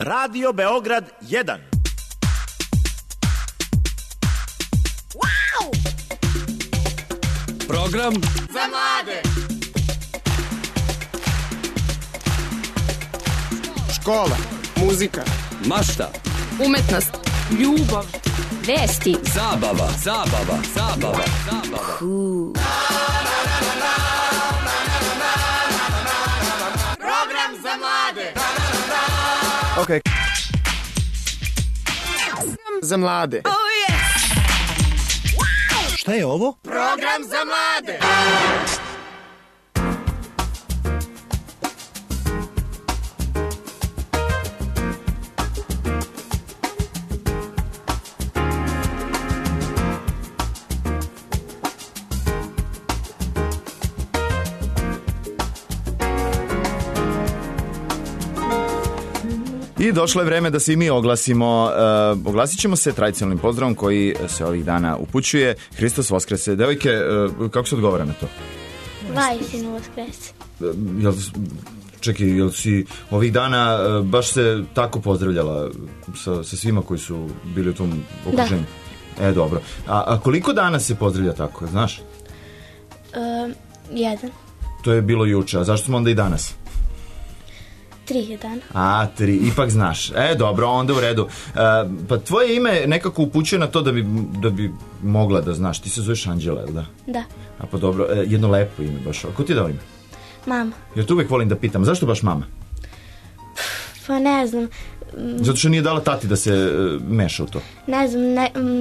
Radio Beograd 1. Wow! Program za mlade. Škola, muzika, mašta, umetnost, ljubav, vesti, zabava. Program za mlade. Ok. Za mlade. Oh yes! Šta je ovo? Program za mlade. I došlo je vreme da se i mi oglasimo. Oglasit ćemo se tradicionalnim pozdravom koji se ovih dana upućuje. Hristos Voskrese. Devojke, kako se odgovara na to? Vajsinu Voskrese. Jel si ovih dana baš se tako pozdravljala sa svima koji su bili u tom okruženju? Da. Dobro. A koliko dana se pozdravlja tako, znaš? Jedan. To je bilo juče, a zašto smo onda i danas? 3 dana. 3, ipak znaš. Dobro, onda u redu. Pa tvoje ime nekako upućuje na to da bi mogla da znaš. Ti se zoveš Anđela, ili da? Da. A pa dobro, jedno lepo ime baš. A ko ti je dao ime? Mama. Jer tu uvek volim da pitam, zašto baš mama? Pa ne znam. Zato što nije dala tati da se meša u to. Ne znam,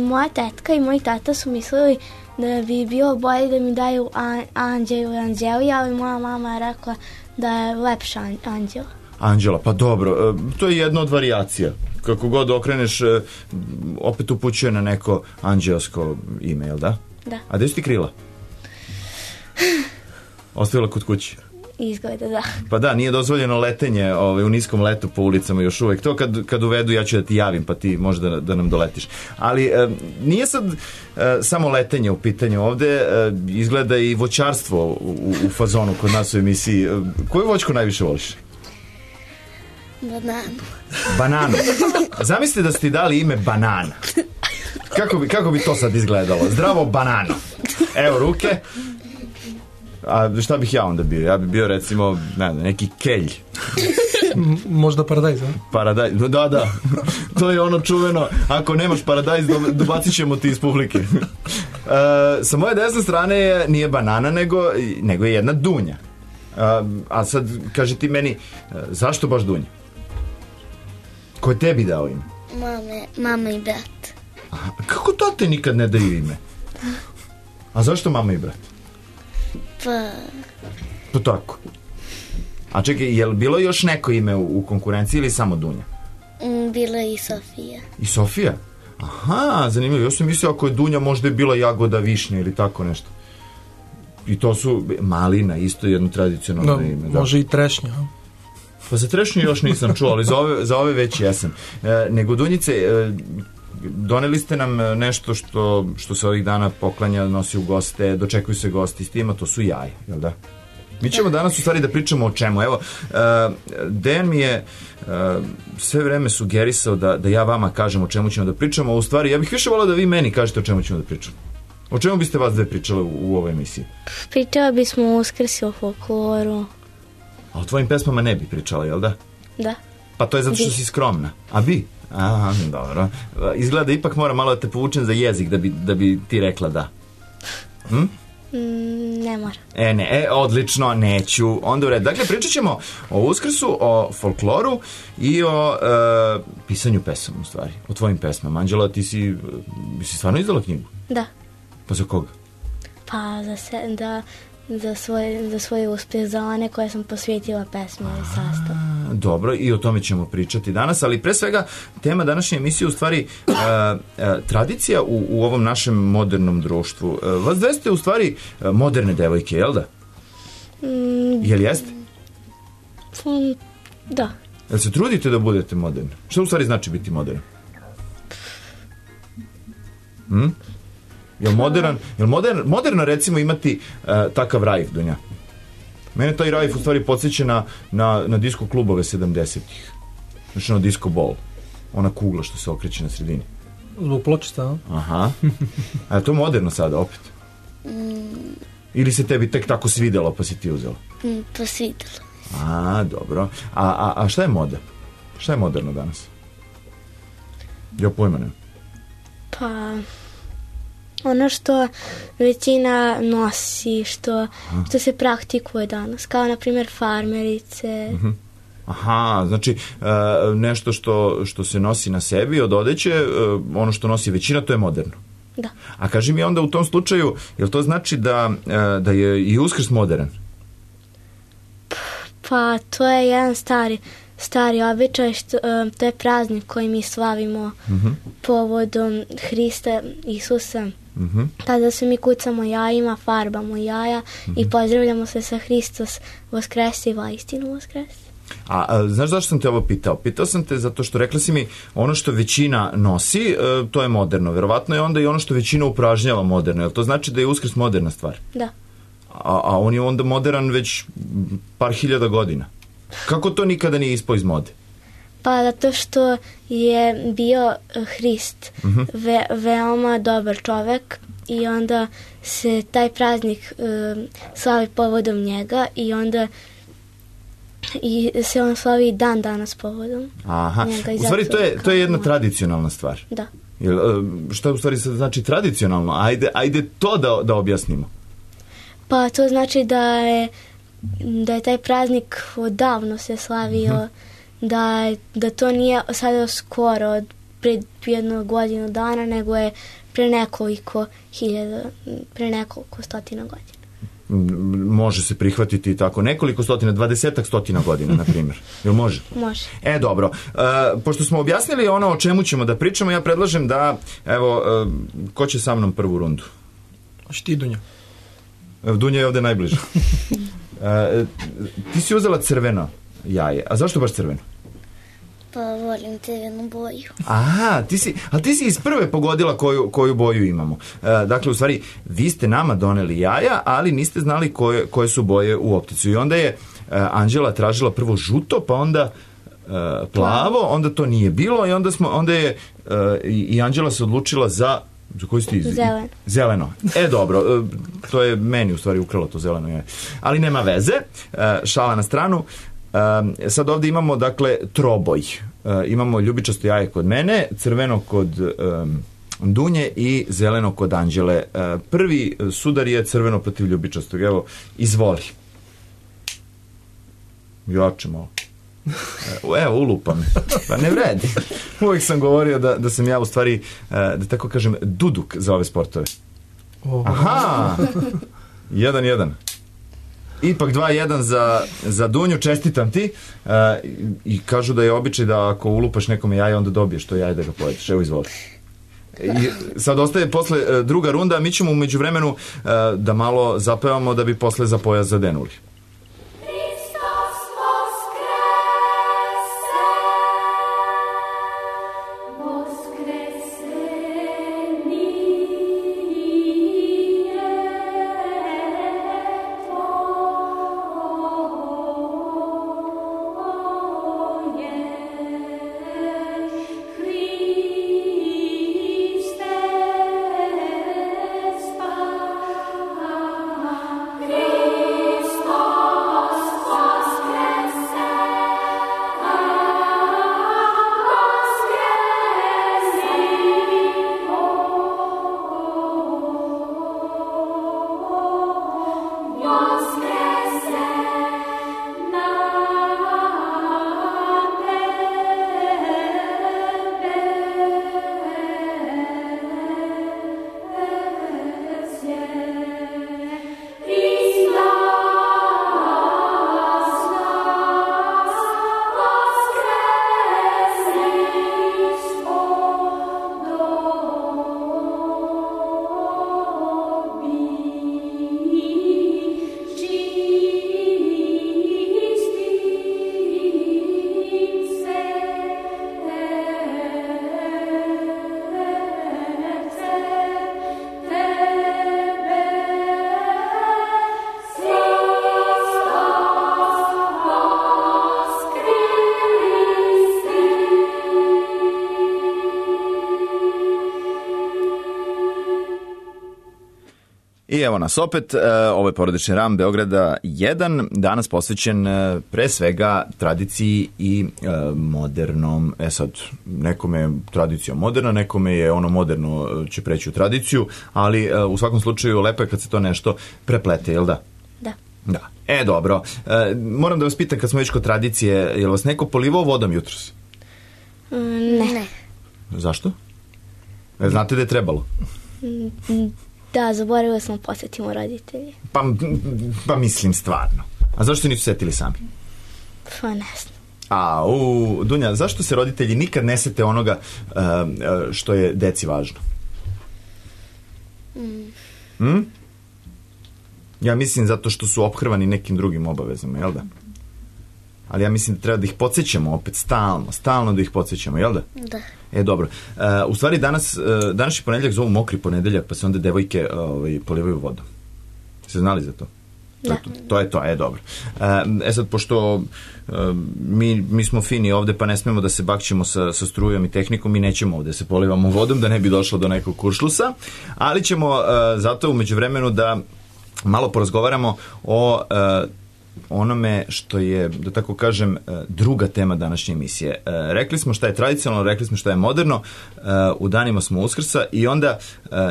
moja tetka i moj tata su mislili da bi bilo bolje da mi daju Anđelu i Anđelija, ali moja mama je rekla da je lepša Anđela. Anđela, pa dobro, to je jedna od varijacija. Kako god okreneš, opet upućuje na neko anđelsko ime, jel da? Da. A gde su ti krila? Ostavila kod kući? Izgleda, da. Pa da, nije dozvoljeno letenje u niskom letu po ulicama još uvek. To kad uvedu ja ću da ti javim, pa ti možda da nam doletiš. Ali nije sad samo letenje u pitanju ovde, izgleda i voćarstvo u fazonu kod nas u emisiji. Koju voćku najviše voliš? Bananu. Zamislite da ste ti dali ime Banana. Kako bi to sad izgledalo? Zdravo Banano. Evo ruke. A šta bih ja onda bio? Ja bih bio recimo neki kelj. Možda paradajz, a? Paradajz, da. To je ono čuveno. Ako nemaš paradajz, dobacit ćemo ti iz publike. Sa moje desne strane nije banana, nego je jedna dunja. A sad, kaži ti meni, zašto baš dunja? Ko je tebi dao ime? Mama i brat. Aha, kako tate nikad ne daju ime? A zašto mama i brat? Pa tako. A čekaj, je li bilo još neko ime u konkurenciji ili samo Dunja? Bila i Sofija. I Sofija? Aha, zanimljivo. Ja sam mislio ako je Dunja možda je bila jagoda, višnja ili tako nešto. I to su malina, isto jedno tradicionalno ime. Da. Može i trešnja. Pa za trešnju još nisam čuo, ali za ove već jesam. Nego Dunjice, doneli ste nam nešto što se ovih dana poklanja, nosi u goste, dočekuju se gosti s tima, to su jaja, jel da? Mi ćemo danas u stvari da pričamo o čemu. Evo, Dejan mi je sve vreme sugerisao da ja vama kažem o čemu ćemo da pričamo, a u stvari ja bih više volao da vi meni kažete o čemu ćemo da pričamo. O čemu biste vas dve pričale u ovoj emisiji? Pričala bismo o Uskrsi, o folkloru. A o tvojim pesmama ne bi pričala, jel da? Da. Pa to je zato što si skromna. A bi? Aha, dobro. Izgleda ipak mora malo da te povučem za jezik da bi ti rekla da. Ne mora. Ne, odlično, neću. Onda u redu. Dakle, pričat ćemo o Uskrsu, o folkloru i o pisanju pesama, u stvari. O tvojim pesmama. Anđela, ti si stvarno izdala knjigu? Da. Pa za koga? Pa za svoje uspeh, za one koje sam posvetila pesmi ili sastav. Dobro, i o tome ćemo pričati danas, ali pre svega tema današnje emisije u stvari tradicija u ovom našem modernom društvu. Vas dve ste u stvari moderne devojke, jel da? Jel jeste? Da. Jel se trudite da budete moderni? Što u stvari znači biti modern? Jel moderno recimo imati takav rajf, Dunja? Mene taj rajf u stvari podsjeća na disko klubove 70-ih. Znači ono disco ball. Ona kugla što se okreće na sredini. Zbog pločica, a? Aha. A je to moderno sada opet? Ili se tebi tek tako svidelo pa si ti uzela? Pa svidelo. A, dobro. A šta je moda? Šta je moderno danas? Ja pojma nemam. Pa ono što većina nosi, što se praktikuje danas, kao na primjer farmerice. Aha, znači nešto što se nosi na sebi od odeće, ono što nosi većina, to je moderno. Da. A kaži mi onda u tom slučaju, jel to znači da je i Uskrs modern? Pa to je jedan stari običaj, to je praznik koji mi slavimo povodom Hrista Isusa. Tada se mi kucamo jajima, farbamo jaja i pozdravljamo se sa Hristos Vaskresi, vaistinu Vaskresi. A znaš zašto sam te ovo pitao? Pitao sam te zato što rekla si mi ono što većina nosi, to je moderno. Verovatno je onda i ono što većina upražnjava moderno. Jel to znači da je Uskrs moderna stvar? Da. A on je onda modern već par hiljada godina. Kako to nikada nije ispao iz mode? Pa zato što je bio Hrist veoma dobar čovek i onda se taj praznik slavi povodom njega i onda se on slavi dan danas povodom njega. U stvari to je jedna tradicionalna stvar. Da. Šta u stvari znači tradicionalno? Ajde to da objasnimo. Pa to znači da je taj praznik odavno se slavio, da to nije sada skoro pred jednu godinu dana, nego je pre nekoliko stotina godina. Može se prihvatiti tako nekoliko stotina, 20-ak stotina godina, na primjer. Jel može? Može. Dobro. Pošto smo objasnili ono o čemu ćemo da pričamo, ja predlažem da, evo, ko će sa mnom prvu rundu? Hoće ti, Dunja. Dunja je ovde najbliže. Ti si uzela crveno jaje. A zašto baš crveno? Pa volim crvenu boju. Aha, ti si iz prve pogodila koju boju imamo. Dakle, u stvari, vi ste nama doneli jaja, ali niste znali koje su boje u opticu. I onda je Anđela tražila prvo žuto, pa onda plavo, onda to nije bilo i onda je i Anđela se odlučila za koji ste Zeleno. Zeleno. Dobro, to je meni u stvari ukralo to zeleno jaje. Ali nema veze, šala na stranu. Sad ovdje imamo, dakle, troboj. Imamo ljubičasto jaje kod mene, crveno kod Dunje i zeleno kod Anđele. Prvi sudar je crveno protiv ljubičastog. Evo, izvoli. Jače malo. Evo, ulupa me. Pa ne vredi. Uvijek sam govorio da sam ja u stvari, da tako kažem, duduk za ove sportove. Aha! 1-1. Ipak 2-1 za Dunju, čestitam ti. I kažu da je običaj da ako ulupaš nekome jaje, onda dobiješ to jaje da ga pojedeš. Evo, izvoli. I sad ostaje posle druga runda, mi ćemo u međuvremenu da malo zapevamo da bi posle za pojas zadenuli. Christos I evo nas opet, ovo je porodični ram Beograda 1, danas posvećen pre svega tradiciji i modernom. Sad, nekome je tradicija moderna, nekome je ono moderno će preći u tradiciju, ali u svakom slučaju lepo je kad se to nešto preplete, jel da? Da. Da. Dobro. Moram da vas pitam, kad smo već kod tradicije, je li vas neko polivao vodom jutros? Ne. Zašto? Znate da je trebalo? Da, zaboravili smo posjetimo roditelji. Pa mislim stvarno. A zašto se nisu setili sami? Pa ne znam. Dunja, zašto se roditelji nikad ne sete onoga što je deci važno? Ja mislim zato što su ophrvani nekim drugim obavezama, jel da? Ali ja mislim da treba da ih podsjećamo opet stalno da ih podsjećamo, jel da? Da. Dobro. U stvari današnji ponedeljak zovu mokri ponedeljak, pa se onda devojke polivaju vodom. Ste znali za to? Da. To je to, dobro. Sad, pošto mi smo fini ovde, pa ne smemo da se bakćemo sa strujom i tehnikom, mi nećemo ovde se polivamo vodom, da ne bi došlo do nekog kuršlusa, ali ćemo zato u međuvremenu da malo porazgovaramo o onome što je, da tako kažem, druga tema današnje emisije. Rekli smo šta je tradicionalno, rekli smo šta je moderno, u danima smo Uskrsa i onda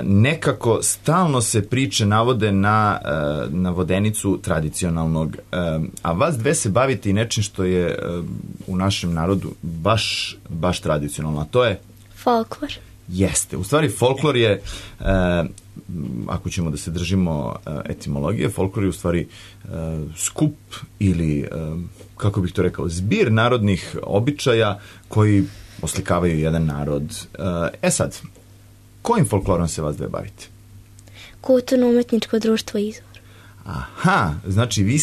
nekako stalno se priče navode na vodenicu tradicionalnog, a vas dve se bavite i nečim što je u našem narodu baš tradicionalno, a to je? Folklor. Jeste. U stvari, folklor je, ako ćemo da se držimo etimologije, folklor je u stvari skup ili, kako bih to rekao, zbir narodnih običaja koji oslikavaju jedan narod. Sad, kojim folklorom se vas dve bavite? Kulturno-umetničko društvo Izvor. Aha, znači vi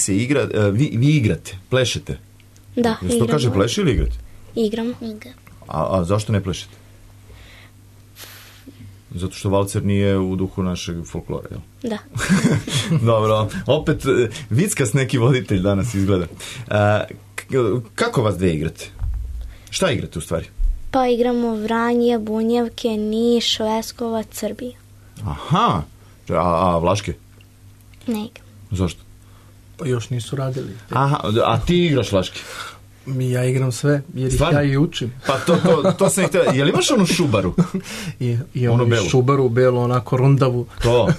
igrate, plešete. Da, igramo. To kaže pleše ili igrate? Igramo. A zašto ne plešete? Zato što valcer nije u duhu našeg folklora, jel? Da. Dobro, opet vickas neki voditelj danas izgleda. Kako vas dve igrate? Šta igrate u stvari? Pa igramo Vranje, Bunjevke, Niš, Leskovac, Srbija. Aha, a Vlaške? Ne igram. Zašto? Pa još nisu radili. Aha, a ti igraš Vlaške? Ja igram sve, jer stvarno? ih ja i učim. Pa to sam ih htio. Jel imaš onu šubaru? I onu belu. Šubaru, belu, onako rundavu. To,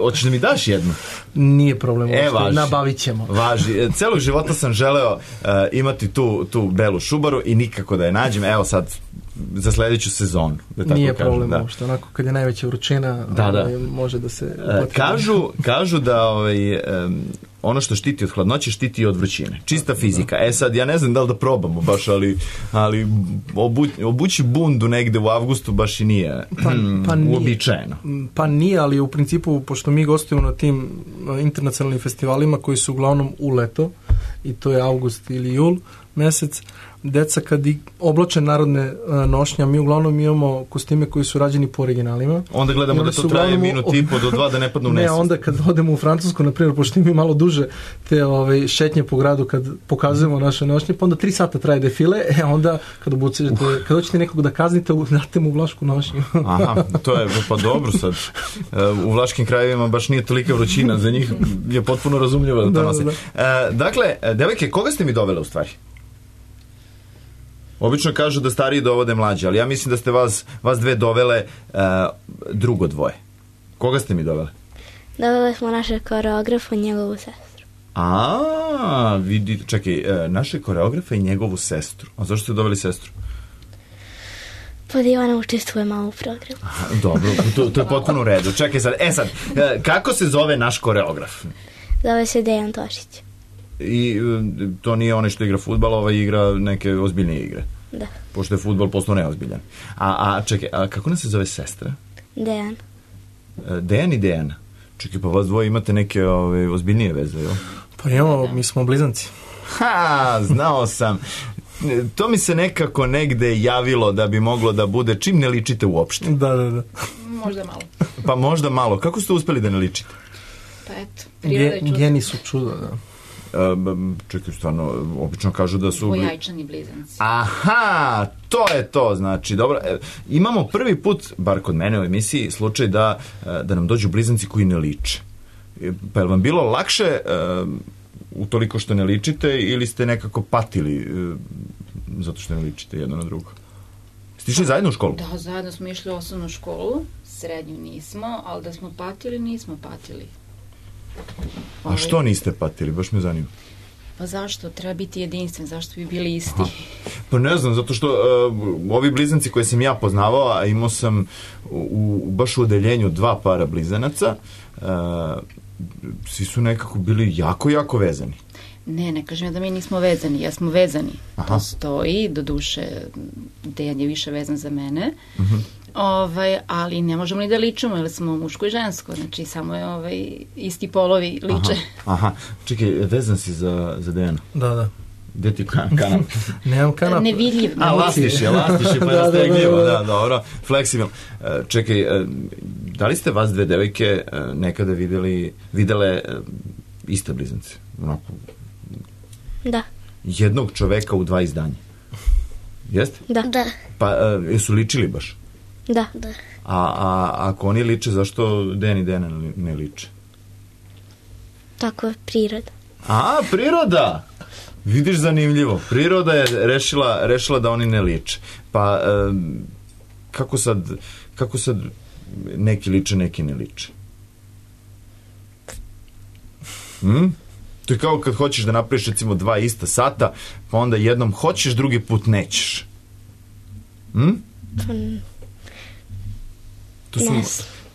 hoćeš da mi daš jednu? Nije problem, važi. Nabavit ćemo. Važi. Celog života sam želeo imati tu belu šubaru i nikako da je nađem. Evo sad, za sledeću sezonu. Da tako nije kažem, problem, da. uopšte. Onako, kad je najveća vrućina, može da se... Kažu da ono što štiti od hladnoće, štiti i od vrućine. Čista fizika. Sad, ja ne znam da li da probamo baš, ali obući bundu negde u avgustu baš i nije uobičajeno. Pa nije, ali u principu, pošto mi gostujemo na tim internacionalnim festivalima koji su uglavnom u leto, i to je avgust ili jul mesec, deca kad oblače narodne nošnje, mi uglavnom imamo kostime koji su rađeni po originalima. Onda gledamo da to traje minut i po do 2 da ne padnu u nesvest. Ne, onda kad odemo u Francusku, na primjer, pošto imamo malo duže te šetnje po gradu kad pokazujemo naše nošnje, pa onda 3 sata traje defile, onda kad hoćete nekog da kaznite, date mu vlašku nošnju. Aha, to je, pa dobro sad. U vlaškim krajevima baš nije tolika vrućina, za njih je potpuno razumljivo da to nose. Dakle, devojke, koga ste mi dovele u stvari? Obično kažu da stariji dovode mlađe, ali ja mislim da ste vas dve dovele drugo dvoje. Koga ste mi dovele? Dovele smo našeg koreografa i njegovu sestru. Vidite, čekaj, našeg koreografa i njegovu sestru. A zašto ste doveli sestru? Pa da i ona učestvuje malo u programu. Dobro, to je potpuno u redu. Čekaj sad, kako se zove naš koreograf? Zove se Dejan Tošić. I to nije onaj što igra fudbal, igra neke ozbiljnije igre. Da. Pošto je fudbal postao neozbiljan. Čekaj, kako nas se zove sestra? Dejan. Dejan i Dejana. Čekaj, pa vas dvoje imate neke ozbiljnije veze, jel? Pa imamo, mi smo blizanci. Znao sam. To mi se nekako negde javilo da bi moglo da bude čim ne ličite uopšte. Da. Možda malo. Pa možda malo. Kako ste uspeli da ne ličite? Pa eto, priroda je čudo. Geni su čudo, da. čekaj, stvarno, obično kažu da su... Dvojajčani blizanci. Aha, to je to, znači, dobro. Imamo prvi put, bar kod mene u emisiji, slučaj da nam dođu blizanci koji ne liče. Pa je vam bilo lakše utoliko što ne ličite ili ste nekako patili zato što ne ličite jedno na drugo? Ste išli zajedno u školu? Da, zajedno smo išli u osnovnu školu, srednju nismo, ali da smo patili, nismo patili. A što niste patili? Baš me zanima. Pa zašto? Treba biti jedinstven, zašto bi bili isti? Pa ne znam, zato što ovi blizanci koje sam ja poznavao, a imao sam baš u odeljenju 2 para blizanaca, svi su nekako bili jako, jako vezani. Ne kažem ja da mi nismo vezani, ja smo vezani. To stoji, do duše Dejan je više vezan za mene, ali ne možemo ni da ličimo, jer smo muško i žensko, znači samo je isti polovi liče. Aha, čekaj, vezan si za Dejana? Da. Gde ti kanap? Nemam kanap. Nevidljiv. Lastiš je, pa je stegljivo, da, dobro, fleksibilno. Čekaj, da li ste vas dve devojke nekada videle iste blizance? Onako... Da. Jednog čoveka u 2 izdanja? Jeste? Da. Pa jesu ličili baš? Da. A ako oni liče, zašto Dejan i Dejana ne liče? Tako je priroda. Priroda! Vidiš, zanimljivo. Priroda je rešila da oni ne liče. Pa kako sad neki liče, neki ne liče? To je kao kad hoćeš da napraviš recimo 2 ista sata, pa onda jednom hoćeš, drugi put nećeš.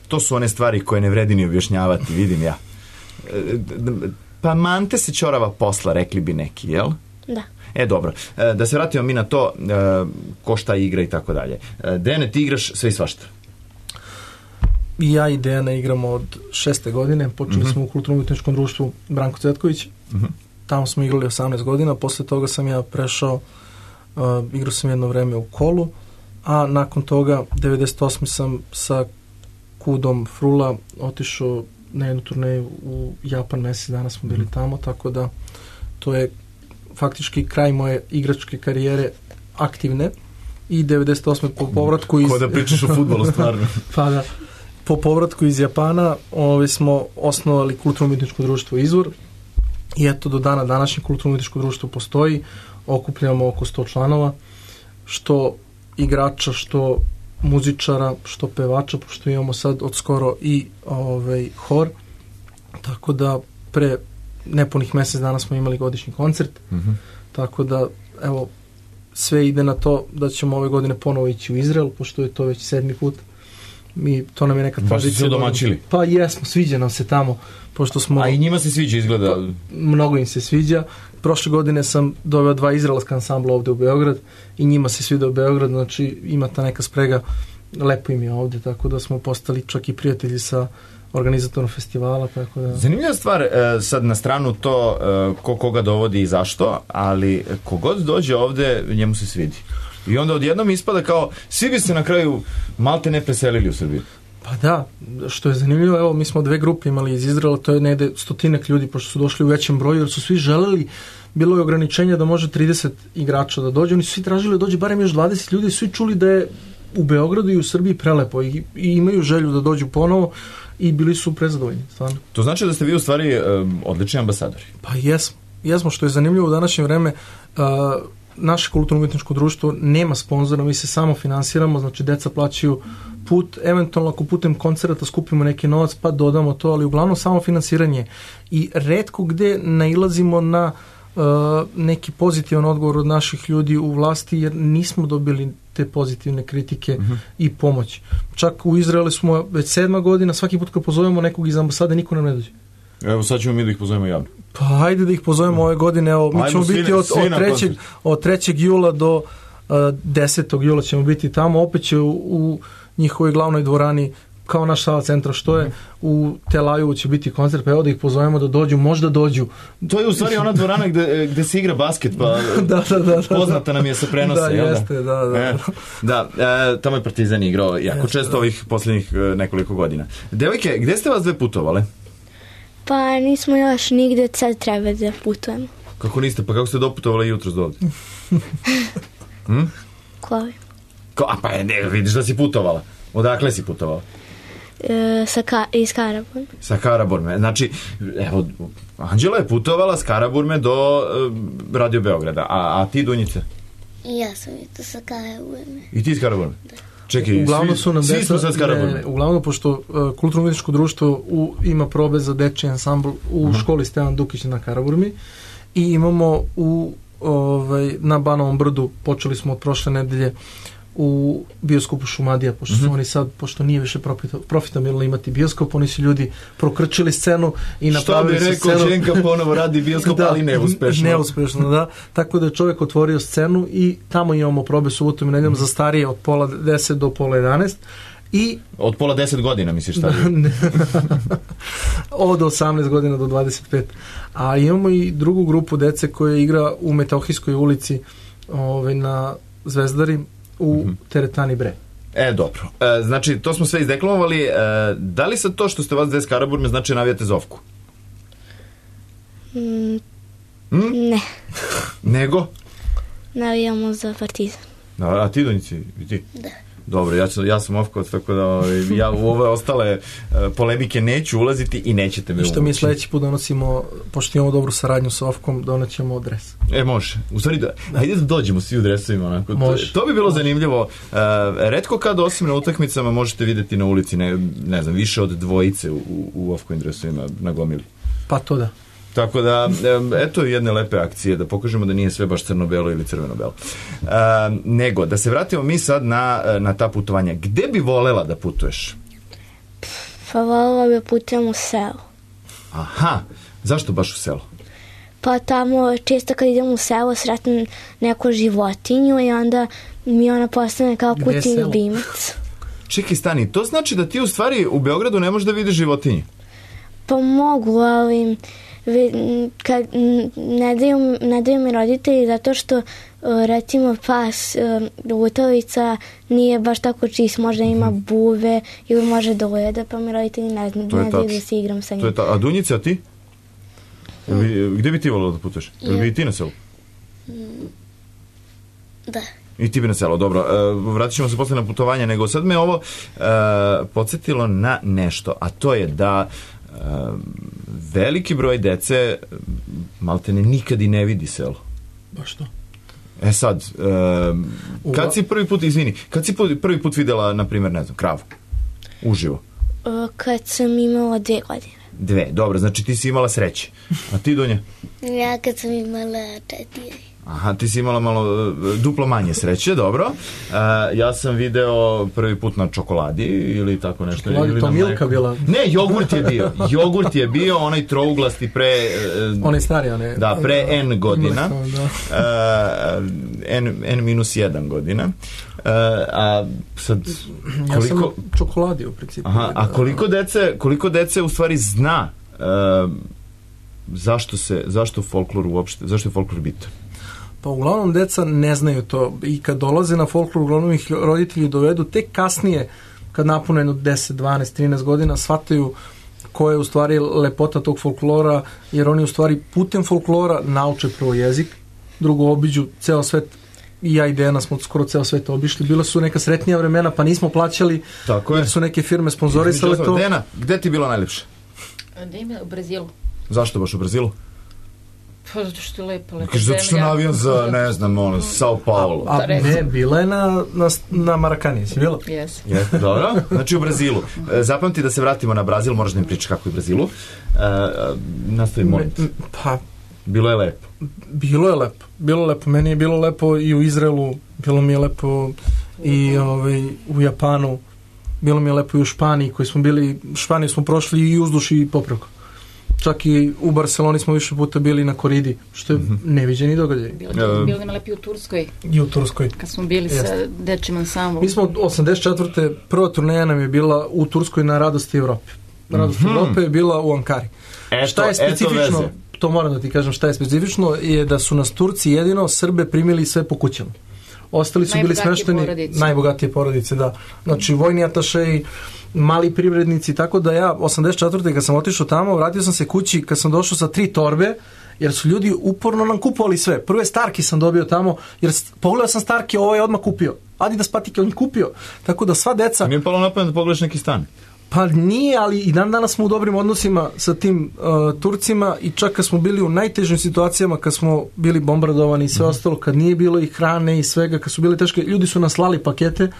To su one stvari koje ne vredi ni objašnjavati, vidim ja. Pa mante se ćorava posla, rekli bi neki, jel? Da. Dobro. Da se vratimo mi na to ko šta igra i tako dalje. Dejane, ti igraš sve i svašta? I ja i Dejana igramo od 6. godine. Počeli smo u kulturno-umjetničkom društvu Branko Cvetković. Tamo smo igrali 18 godina. Posle toga sam ja prešao, igrao sam jedno vreme u Kolu, a nakon toga 98. sam sa Kudom Frula otišao na jednu turneju u Japan, mesec dana smo bili tamo, tako da to je faktički kraj moje igračke karijere aktivne. I 98. po povratku iz... Ko da pričaš o fudbalu, stvarno. Pa da. Po povratku iz Japana smo osnovali kulturno-umjetničko društvo Izvor i eto do dana današnje kulturno-umjetničko društvo postoji, okupljamo oko 100 članova, što igrača, što muzičara, što pevača, pošto imamo sad od skoro i hor, tako da pre nepunih mesec dana smo imali godišnji koncert, tako da evo sve ide na to da ćemo ove godine ponovo ići u Izrael, pošto je to već 7. put. To nam je neka tradicija. Baš ste se domaćili? Pa jesmo, sviđa nam se tamo. Pošto smo, a i njima se sviđa, izgleda? Pa, mnogo im se sviđa. Prošle godine sam doveo 2 izraelska ansambla ovde u Beograd i njima se sviđa u Beograd, znači ima ta neka sprega, lepo im je ovde, tako da smo postali čak i prijatelji sa organizatorom festivala. Tako da... Zanimljiva stvar, sad na stranu to ko koga dovodi i zašto, ali kogod dođe ovde, njemu se svidi. I onda odjednom ispada kao, svi bi se na kraju malte ne preselili u Srbiji. Pa da, što je zanimljivo, evo mi smo 2 grupe imali iz Izraela, to je negde 100 ljudi, pošto su došli u većem broju, jer su svi želeli, bilo je ograničenje da može 30 igrača da dođe, oni su svi tražili da dođe barem još 20 ljudi, svi čuli da je u Beogradu i u Srbiji prelepo i imaju želju da dođu ponovo i bili su prezadovoljni, stvarno. To znači da ste vi u stvari odlični ambasadori? Pa jesmo, što je zanimljivo u današnje vreme, naše kulturno-umjetničko društvo nema sponzora, mi se samo finansiramo, znači deca plaćaju put, eventualno ako putem koncerta skupimo neki novac pa dodamo to, ali uglavnom samo finansiranje. I retko gde nailazimo na neki pozitivan odgovor od naših ljudi u vlasti, jer nismo dobili te pozitivne kritike i pomoć. Čak u Izraelu smo već 7. godina, svaki put kad pozovemo nekog iz ambasade, niko nam ne dođe. Evo sad ćemo mi da ih pozovemo javno. Pa ajde da ih pozovemo ove godine, evo mi ćemo biti od 3. jula do 10. jula ćemo biti tamo, opet će u njihovoj glavnoj dvorani kao naš Sava centra što je, u Tel Avivu će biti koncert, pa evo da ih pozovemo da dođu, možda dođu. To je u stvari ona dvorana gde se igra basket, pa da. Poznata nam je sa prenosa. Da, jeste, da. Tamo je Partizan igrao jako često ovih posljednjih nekoliko godina. Devojke, gde ste vas 2 putovale? Pa nismo još nigde, sad treba da putujemo. Kako niste? Pa kako ste doputovali jutros do ovde? Koji? Pa ne, vidiš da si putovala. Odakle si putovala? Iz Karaburme. Sa Karaburme. Znači, evo, Anđela je putovala s Karaburme do Radio Beograda. A ti, Dunjice? I ja sam i to sa Karaburme. I ti iz Karaburme? Čekaj, Uglavnom su nam svi smo sad s Karaburme. Uglavnom, pošto Kulturno-umjetničko društvo ima probe za dečji ansambl u školi Stevan Dukić na Karaburmi i imamo na Banovom brdu, počeli smo od prošle nedelje u bioskopu Šumadija, pošto su oni sad, pošto nije više profitabilno imati bioskop, oni su ljudi prokrčili scenu i napravili su scenu. Što bi rekao, Čenka ponovo radi bioskop, ali neuspešno. Neuspešno, da. Tako da je čovjek otvorio scenu i tamo imamo probe subotom i nedeljom za starije od 9:30 do 10:30. I od 9:30 godina, misliš šta? Od 18 godina do 25. A imamo i drugu grupu dece koja igra u Metohijskoj ulici na Zvezdari u Teretani Bre. Dobro. Znači, to smo sve izdeklamovali. Da li sad to što ste vas dve s Karaburme znači navijate Zovku? Ne. Nego? Navijamo za Partizan. A ti, Donjici? I ti? Da. Dobro, ja sam Ovkovac, tako da ja u ove ostale polemike neću ulaziti i nećete me uvući. Što mi sljedeći put donosimo, pošto imamo dobru saradnju sa Ovkom, donećemo dres. Može. U stvari, ajde da dođemo svi u dresovima. Onako. To bi bilo zanimljivo. Retko kad, osim na utakmicama, možete vidjeti na ulici, ne znam, više od dvojice u Ovkovim dresovima na gomili. Pa to da. Tako da, eto jedne lepe akcije, da pokažemo da nije sve baš crno-belo ili crveno-belo. Nego, da se vratimo mi sad na ta putovanja. Gde bi volela da putuješ? Pa volela bi putujem u selo. Aha, zašto baš u selo? Pa tamo često kad idem u selo sretnem neku životinju i onda mi ona postane kao kućni ljubimac. Čekaj, stani, to znači da ti u stvari u Beogradu ne možeš da vidiš životinje? Pa mogu, ali kad ne daju mi roditelji zato što recimo pas lutovica nije baš tako čist, možda ima buve ili može da ujede, pa mi roditelji ne daju da se igram sa njim. A Dunjice, a ti? Gde bi ti volila da putuješ? Ili bi i ti na selu? Da. I ti bi na selo, dobro. Vratit ćemo se posle na putovanje, nego sad me ovo podsjetilo na nešto, a to je da veliki broj dece maltene nikad i ne vidi selo. Baš to. Sad, kad si prvi put videla, na primjer, ne znam, kravu? Uživo? Kad sam imala 2 godine. 2, dobro, znači ti si imala sreće. A ti, Dunja? Ja kad sam imala 4. Aha, ti si imala malo duplo manje sreće, dobro. Ja sam video prvi put na čokoladi ili tako nešto. Čokoladi, to Milka bila? Ne, jogurt je bio, onaj trouglasti pre... Onaj stari, onaj... Da, pre N godina. N-1 godina. A sad... Ja sam čokoladi u principu. Aha, a koliko dece u stvari zna zašto folklor uopšte, zašto je folklor bitan? Pa uglavnom deca ne znaju to i kad dolaze na folklor, uglavnom ih roditelji dovedu tek kasnije, kad napune 10, 12, 13 godina, shvataju koja je u stvari lepota tog folklora, jer oni u stvari putem folklora nauče prvo jezik, drugo obiđu ceo svet. I ja i Dejana smo skoro ceo svet obišli. Bila su neka sretnija vremena, pa nismo plaćali, jer su neke firme sponzorisale to. Dejana, gde ti je bilo najljepše? U Brazilu. Zašto baš u Brazilu? Pa zato što je lepa zemlja. Zato što je na avion za, ne znam, Sao Paulo. A ne, bila je na Marakani, si bila? Jes. Dobro, znači u Brazilu. Zapamti da se vratimo na Brazil, moraš da mi pričaš kako je u Brazilu. Nastavi, molim. Pa, bilo je lepo. Bilo je lepo. Meni je bilo lepo i u Izraelu, bilo mi je lepo i u Japanu, bilo mi je lepo i u Španiji, koji smo bili, Španiju smo prošli i uzduž i popreko. Čak i u Barceloni smo više puta bili na koridi, što je neviđeni događaj. Bilo nam lepi u Turskoj. I u Turskoj. Kad smo bili sa dečim ansamblom. Mi smo 84. prva turneja nam je bila u Turskoj na Radosti Evrope. Radost Evrope je bila u Ankari. Šta je specifično, to moram da ti kažem, šta je specifično, je da su nas Turci jedino Srbe primili sve po kućama. ostali su bili smešteni najbogatije porodice, da. Znači, vojni atašeji, mali privrednici, tako da ja 84. kad sam otišao tamo, vratio sam se kući kad sam došao sa 3 torbe, jer su ljudi uporno nam kupovali sve. Prve Starki sam dobio tamo, jer pogledao sam Starke, ovo je odmah kupio. Adidas patike, on je kupio. Tako da sva deca... Nije palo napamet da pogledaš neki stan? Pa nije, ali i dan danas smo u dobrim odnosima sa tim Turcima i čak kad smo bili u najtežim situacijama, kad smo bili bombardovani i sve ostalo, kad nije bilo i hrane i svega, kad su bili teške, ljudi su nas slali pakete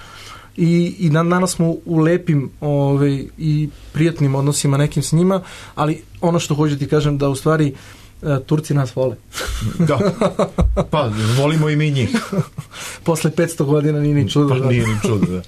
i dan danas smo u lepim i prijatnim odnosima nekim s njima, ali ono što hoću ti kažem da u stvari Turci nas vole. Da. Pa, volimo i mi njih. Posle 500 godina nije ni čudo. Pa nije ni čudo, da.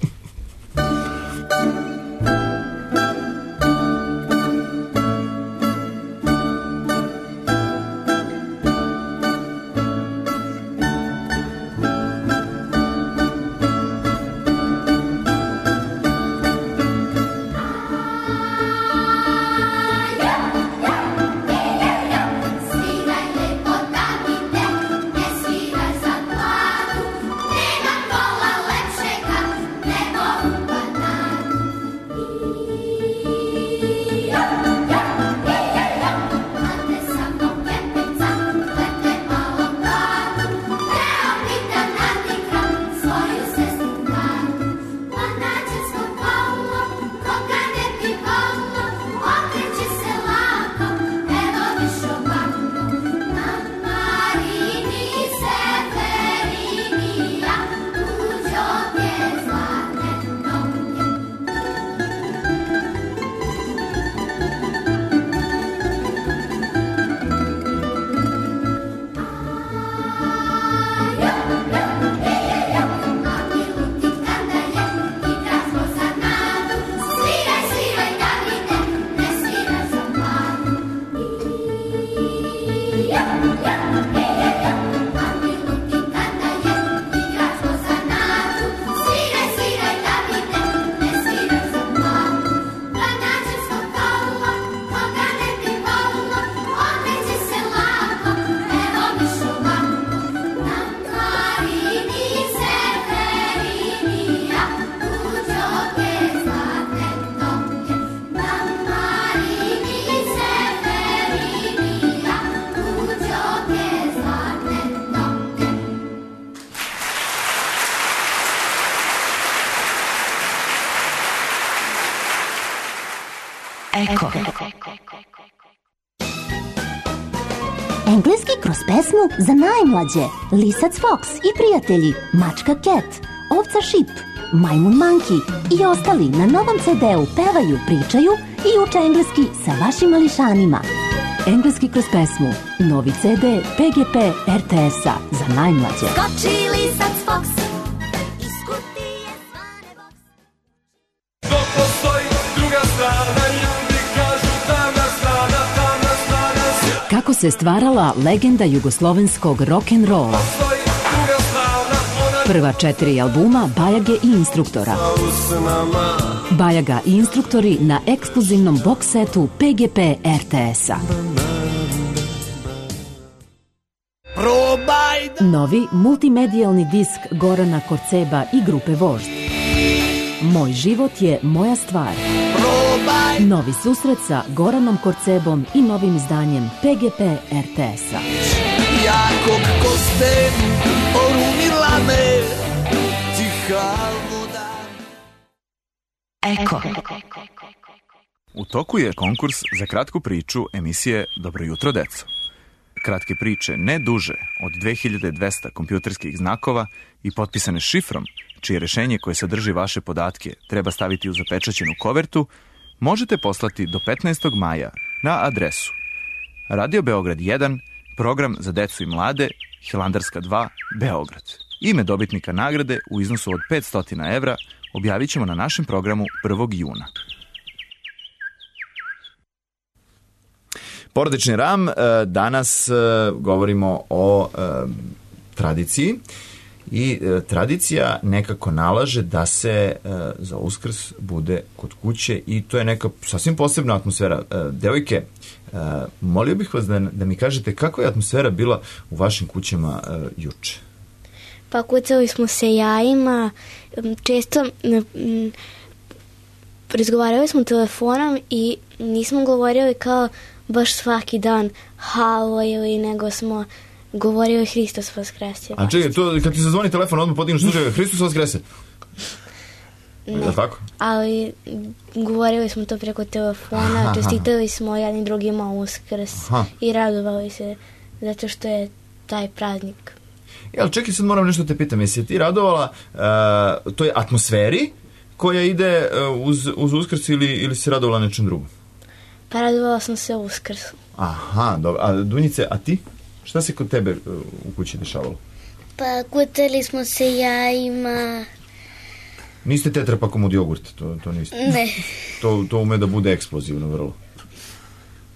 Eko. Engleski kroz pesmu za najmlađe. Lisac Fox i prijatelji, mačka Cat, ovca Šip, majmun Monkey i ostali na novom CD-u pevaju, pričaju i uče engleski sa vašim mališanima. Engleski kroz pesmu, novi CD PGP RTS-a za najmlađe. Skoči lisac Fox iz kutije zvane box. Dok postoji druga strana, ljudi kažu tamna strana, tamna strana. Kako se stvarala legenda jugoslovenskog rock'n'rolla. Prva 4 albuma Bajage i Instruktora. Bajaga i Instruktori na ekskluzivnom box setu PGP RTS-a. Novi multimedijalni disk Gorana Korceba i grupe Vožd. Moj život je moja stvar. Novi susret sa Goranom Korcebom i novim izdanjem PGP RTS-a. Jakog koste orunila me tiha voda. Eko. U toku je konkurs za kratku priču emisije Dobro jutro, deco. Kratke priče ne duže od 2200 kompjuterskih znakova i potpisane šifrom, čije rešenje koje sadrži vaše podatke treba staviti u zapečaćenu kovertu, možete poslati do 15. maja na adresu Radio Beograd 1, program za decu i mlade, Hilandarska 2, Beograd. Ime dobitnika nagrade u iznosu od 500 evra objavit ćemo na našem programu 1. juna. Porodični RAM, danas govorimo o tradiciji i tradicija nekako nalaže da se za Uskrs bude kod kuće i to je neka sasvim posebna atmosfera. Devojke, molio bih vas da mi kažete kakva je atmosfera bila u vašim kućama juče? Pa kucali smo se jajima, često razgovarali smo telefonom i nismo govorili kao baš svaki dan halo ili nego smo govorili Hristos vaskrese. A čekaj, to kad ti zazvoni telefon odmah podigneš slučaj Hristos vaskrese? Ne, je tako? ali govorili smo to preko telefona, čestitali smo jednim drugima Uskrs i radovali se zato što je taj praznik. Ali čekaj, sad moram nešto te pitam, jesi ti radovala toj atmosferi koja ide uz Uskrs ili si radovala nečem drugom? Pa radovala sam se Uskrsu. Aha, dobro. A Dunjice, a ti? Šta se kod tebe u kući dešavalo? Pa kutali smo se jajima. Niste tetrapakom od jogurta, to niste? Ne. To ume da bude eksplozivno vrlo.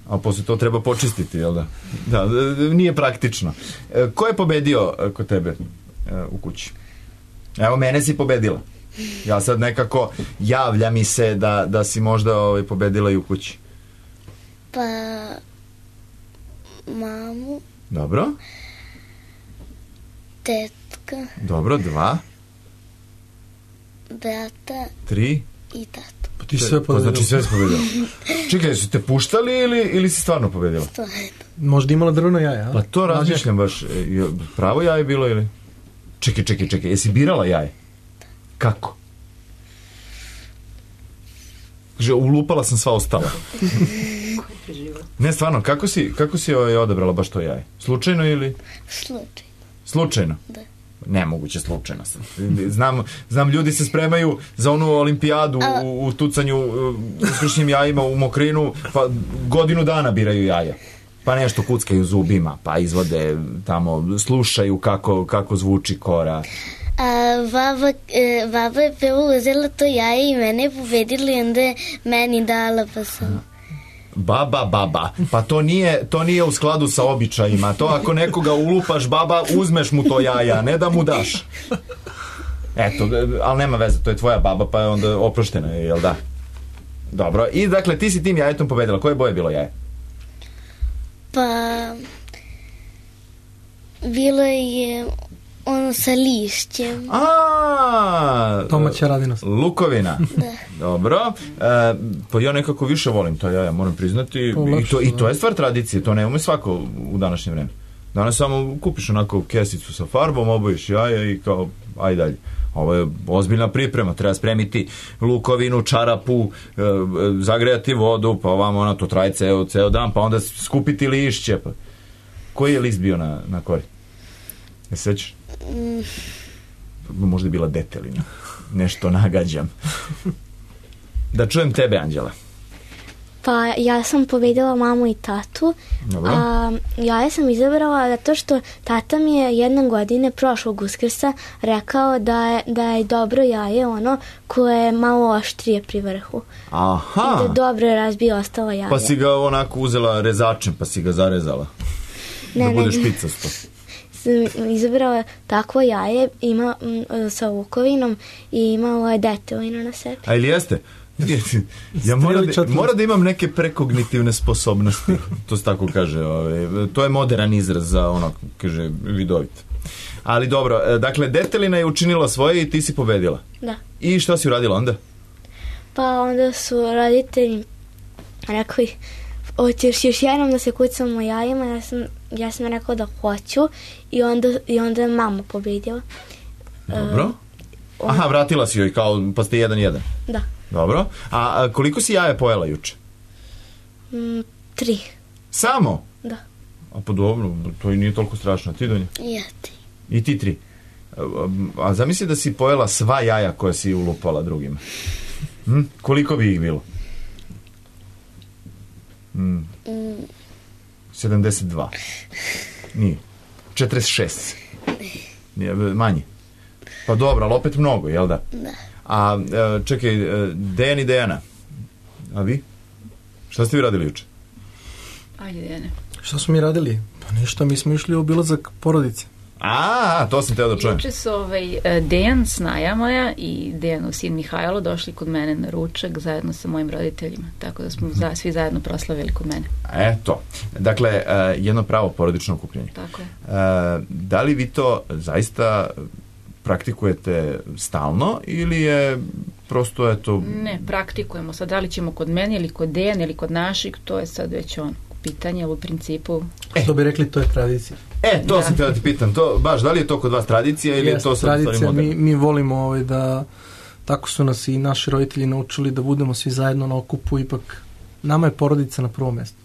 A posle to treba počistiti, jel da? Da, nije praktično. Ko je pobedio kod tebe u kući? Evo, mene si pobedila. Ja sad nekako javlja mi se da si možda pobedila i u kući. Pa mamu. Dobro. Tetka. Dobro, 2. Brata. 3. I tatu. Pa ti sve pobedila. Znači sve si pobedila. Čekaj, su te puštali ili si stvarno pobedila? Stvarno. Možda imala drveno jaje, a? Pa to razmišljam baš. Pravo jaje bilo ili? Čekaj, jesi birala jaje? Kako? Kaže, ulupala sam sva ostala. Ne, stvarno, kako si odabrala baš to jaje? Slučajno ili? Slučajno? Da. Nemoguće, slučajno sam. Znam, ljudi se spremaju za onu olimpijadu u tucanju uskršnjim jajima u Mokrinu, pa godinu dana biraju jaja. Pa nešto kuckaju zubima, pa izvode tamo, slušaju kako zvuči kora. A baba je prvo uzela to jaje i mene pobedila i onda je meni dala, pa sam... Baba, pa to nije u skladu sa običajima. To ako nekoga ulupaš, baba, uzmeš mu to jaja, ne da mu daš. Eto, ali nema veze, to je tvoja baba, pa je onda oproštena, jel da? Dobro, i dakle, ti si tim jajetom pobedila. Koje boje bilo jaje? Pa... bilo je... ono sa lišćem. Domaća radinost. Lukovina. Da. Dobro. Pa ja nekako više volim to jaja, moram priznati. I to je stvar tradicije, to ne ume svako u današnje vreme. Danas samo kupiš onako kesicu sa farbom, obojiš jaja i kao, aj dalje. Ovo je ozbiljna priprema, treba spremiti lukovinu, čarapu, zagrejati vodu, pa ovamo to traje ceo dan, pa onda skupiti lišće. Pa. Koji je list bio na kori? Ne sećaš? Možda je bila detelina. Nešto nagađam. Da čujem tebe, Anđela. Pa ja sam pobedila mamu i tatu. Dobro. Ja sam izabrala zato što tata mi je jedne godine prošlog Uskrsa rekao da je dobro jaje ono koje je malo oštrije pri vrhu. Aha. I da dobro razbije ostala jaja. Pa si ga onako uzela rezačem pa si ga zarezala. Da bude špicasto. Izabrala takvo jaje, ima sa lukovinom i imalo je detelinu na sebi. A ili jeste? Ja mora da imam neke prekognitivne sposobnosti, to se tako kaže. To je modern izraz za ono, kaže, vidovit. Ali dobro, dakle, detelina je učinila svoje i ti si pobedila. Da. I šta si uradila onda? Pa onda su roditelji rekli, hoćeš još jednom da se kucamo jajima, ja sam rekao da hoću i onda je mama pobedila. Dobro. Aha, vratila si joj kao, pa ste 1-1. Da. Dobro. A koliko si jaje pojela juče? 3. Samo? Da. A pa dobro, to i nije toliko strašno. Ti, Donja? Ja 3. I ti 3. A zamisli da si pojela sva jaja koja si ulupala drugima. Koliko bi ih bilo? 72. Nije. 46. Nije, manje. Pa dobro, ali opet mnogo, jel da? Da. A čekaj, Dejan i Dejana, a vi? Šta ste vi radili juče? Ajde, Dejane. Šta smo mi radili? Pa ništa, mi smo išli u obilazak porodice. To sam teo da čujem. Juče su Dejan, snaja moja, i Dejanov sin Mihajlo došli kod mene na ručak zajedno sa mojim roditeljima. Tako da smo svi zajedno proslavili kod mene. Eto. Dakle, jedno pravo porodično okupljanje. Tako je. Da li vi to zaista praktikujete stalno ili je prosto eto... Ne, praktikujemo. Sad da li ćemo kod mene ili kod Dejana ili kod naših, to je sad već pitanje, ali u principu... Što bi rekli, to je tradicija. To sam htio da ti pitam, to, baš, da li je to kod vas tradicija ili je to sad tradicija, mi volimo da, tako su nas i naši roditelji naučili da budemo svi zajedno na okupu, ipak nama je porodica na prvom mjestu.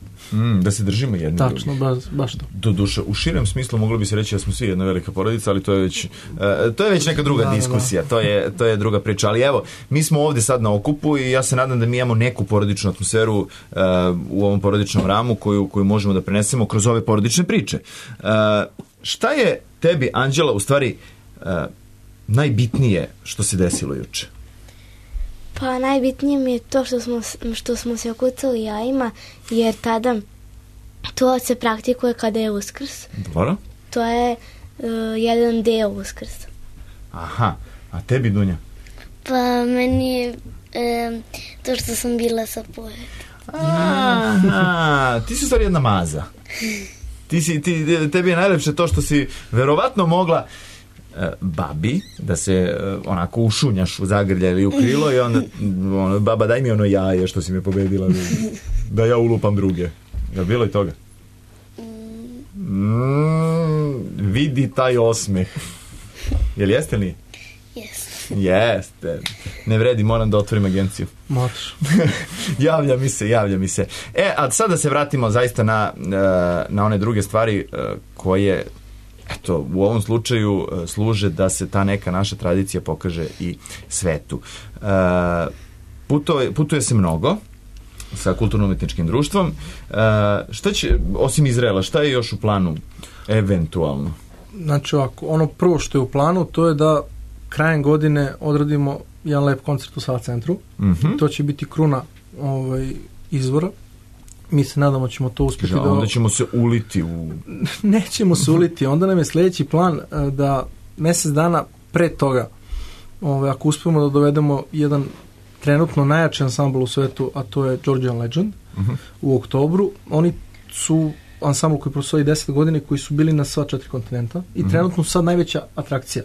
Da se držimo jedni. Tačno, baš to. Doduše, u širem smislu moglo bi se reći da smo svi jedna velika porodica, ali to je već neka druga diskusija, to je druga priča. Ali evo, mi smo ovdje sad na okupu i ja se nadam da mi imamo neku porodičnu atmosferu u ovom porodičnom ramu koju možemo da prenesemo kroz ove porodične priče. Šta je tebi, Anđela, u stvari najbitnije što se desilo juče? Pa najbitnije mi je to što smo se okucali jajima, jer tada to se praktikuje kada je Uskrs. Dobro. To je jedan deo Uskrsa. Aha, a tebi, Dunja? Pa meni je to što sam bila sa porodicom. Aha, ti si u stvari jedna maza. Tebi je najlepše to što si verovatno mogla babi da se onako ušunjaš u zagrlja ili u krilo i onda baba daj mi ono jaje što si me pobedila da ja ulupam druge. Je bilo i toga? Vidi taj osmeh. Jel jeste li? Jeste. Ne vredi, moram da otvorim agenciju. Moraš. Javlja mi se. A sad da se vratimo zaista na one druge stvari koje eto, u ovom slučaju služe da se ta neka naša tradicija pokaže i svetu. Putuje se mnogo sa kulturno-umetničkim društvom. Šta će, osim Izraela, šta je još u planu eventualno? Znači ovako, ono prvo što je u planu, to je da krajem godine odradimo jedan lep koncert u Sava centru. To će biti kruna izvora. Mi se nadamo ćemo to uspjeti. Onda ćemo se uliti Nećemo se uliti. Onda nam je sljedeći plan da mjesec dana pre toga, ako uspijemo da dovedemo jedan trenutno najjači ansambl u svetu, a to je Georgian Legend, u oktobru. Oni su ansambl koji postoji 10 godina, koji su bili na sva 4 kontinenta i trenutno sad najveća atrakcija.